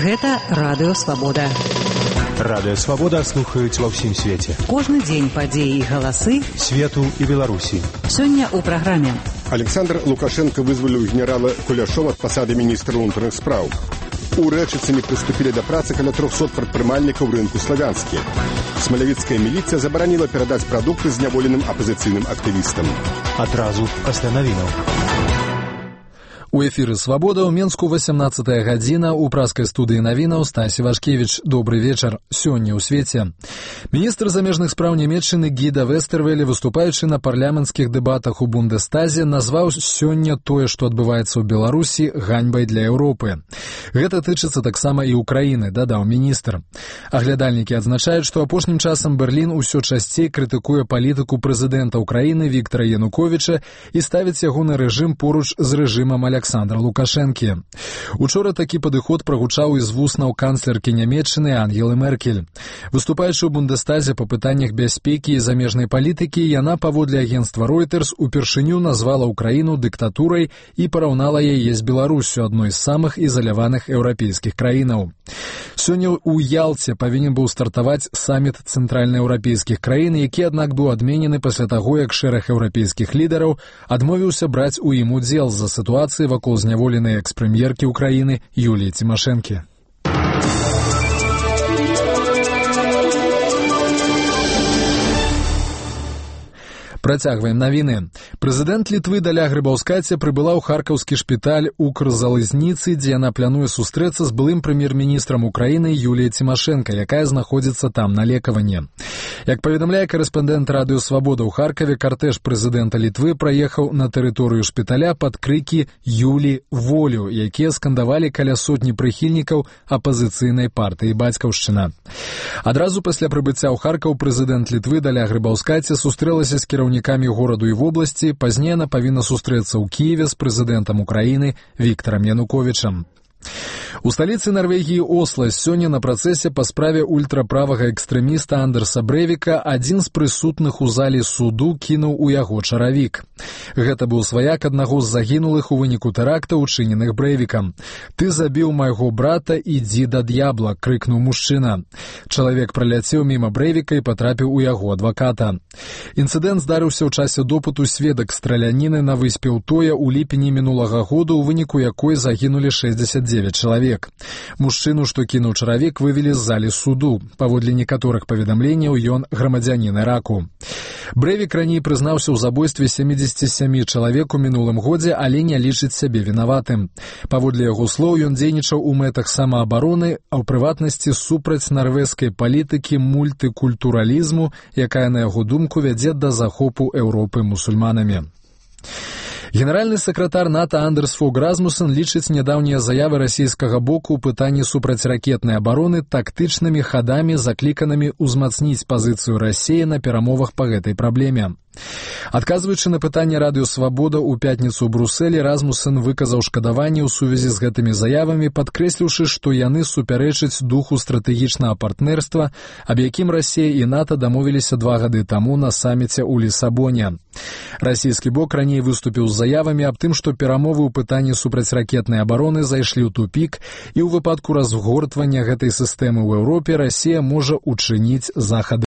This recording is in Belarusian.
Гэта Радыё Свабода. Радыё Свабода слухаюць ва ўсім свеце. Кожны дзень падзеі і галасы свету і Беларусі. Сёння ў праграме. Александр Лукашенко вызваліў генерала Куляшова ад пасады міністра ўнутраных спраў. У Рэчыцыне прыступілі да працы каля 300 прадпрымальнікаў рынку Славянскі. Смалявіцкая міліцыя забараніла перадаць прадукты зняволеным апазіцыйным актывістам. Адразу пасля навінаў. У эфіры «Свабода» ў Менску 18-я гадзіна. У праскай студыі навінаў Стасі Вашкевіч. Добры вечар. Сёння ў свеце. Міністр замежных спраў Нямецчыны Гіда Вестэрвеле, выступаючы на парламенцкіх дэбатах у Бундестазе, назваў сёння тое, што адбываецца ў Беларусі, ганьбай для Еўропы. Гэта тычыцца таксама і Украіны, дадаў міністр. Аглядальнікі адзначаюць, што апошнім часам Берлін усё часцей крытыкуе палітыку прэзідэнта Украіны Віктара Януковіча і ставіць ягоны рэжым поруч з рэжымам Александра Лукашэнкі. Учора такі падыход прагучаў і з вуснаў канцлеркі Нямецчыны Ангелы Меркель. Выступаючы ў Бундестазе па пытаннях бяспекі і замежнай палітыкі, яна, паводле агенцтва Reuters, упершыню назвала Украіну дыктатурай і параўнала яе з Беларусю, адной з самых ізаляваных еўрапейскіх краінаў. Сёння ў Ялце павінен быў стартаваць саміт цэнтральнаеўрапейскіх краін, які, аднак, быў адменены пасля таго, як шэраг еўрапейскіх лідараў адмовіўся браць у ім удзел з-за сітуацыі вакол зняволенай экс-прэм'еркі Украіны Юліі Цімашэнкі. Працягваем навіны. Прэзідэнт Літвы Даля Грыбаўскаце прыбыла ў харкаўскі шпіталь Укрзалізніцы, дзе яна плануе сустрэцца з былым прэм'ер-міністрам Украіны Юліяй Цімашэнка, якая знаходзіцца там на лекаванні. Як паведамляе карэспандэнт Радыё Свабода ў Харкаве, картэж прэзідэнта Літвы праехаў на тэрыторыю шпіталя пад крыкі «Юлі, волю», якія скандавалі каля сотні прыхільнікаў апазіцыйнай партыі «Бацькаўшчына». Адразу пасля прыбыцця ў Харкаў прэзідэнт Літвы Даля Грыбаўскаце сустрэлася з кіраўнікамі гораду і вобласці, пазней яна павінна сустрэцца ў Кіеве з прэзідэнтам Украіны Віктарам Януковічам. У сталіцы Нарвегіі Осла сёння на працэсе па справе ультраправага экстрэміста Андерса Брэвіка адзін з прысутных у залі суду кінуў у яго чаравік. Гэта быў сваяк аднаго з загінулых у выніку тэракта, учыненых Брэвікам. «Ты забіў майго брата, ідзі да д'ябла», — крыкнуў мужчына. Чалавек праляцеў міма Брэвіка і патрапіў у яго адваката. Інцыдэнт здарыўся ў часе допыту сведак страляніны на выспе Утоя ў ліпені мінулага году, у выніку якой загінулі 69 чалавек. Мужчыну, што кінуў чаравік, вывелі з залі суду. Паводле некаторых паведамленняў, ён грамадзянін Іраку. Брэвік раней прызнаўся ў забойстве 77 чалавек у мінулым годзе, але не лічыць сябе вінаватым. Паводле яго слоў, ён дзейнічаў у мэтах самаабароны, а ў прыватнасці супраць нарвежскай палітыкі мультыкультуралізму, якая, на яго думку, вядзе да захопу Еўропы мусульманамі. Генеральны сакратар НАТО Андерс Фог Расмуссен лічыць нядаўнія заявы расійскага боку ў пытанні супрацьракетнай абароны тактычнымі хадамі, закліканымі ўзмацніць пазіцыю Расіі на перамовах па гэтай праблеме. Адказваючы на пытанне Радыё Свабода ў пятніцу ў Брусэлі, Расмуссен выказаў шкадаванне ў сувязі з гэтымі заявамі, падкрэсліўшы, што яны супярэчаць духу стратэгічнага партнерства, аб якім Расія і НАТО дамовіліся 2 гады таму на саміце ў Лісабоне. Расійскі бок раней выступіў з заявамі аб тым, што перамовы ў пытанні супрацьракетнай абароны зайшлі ў тупік, і ў выпадку разгортвання гэтай сістэмы ў Еўропе Расія можа учыніць захады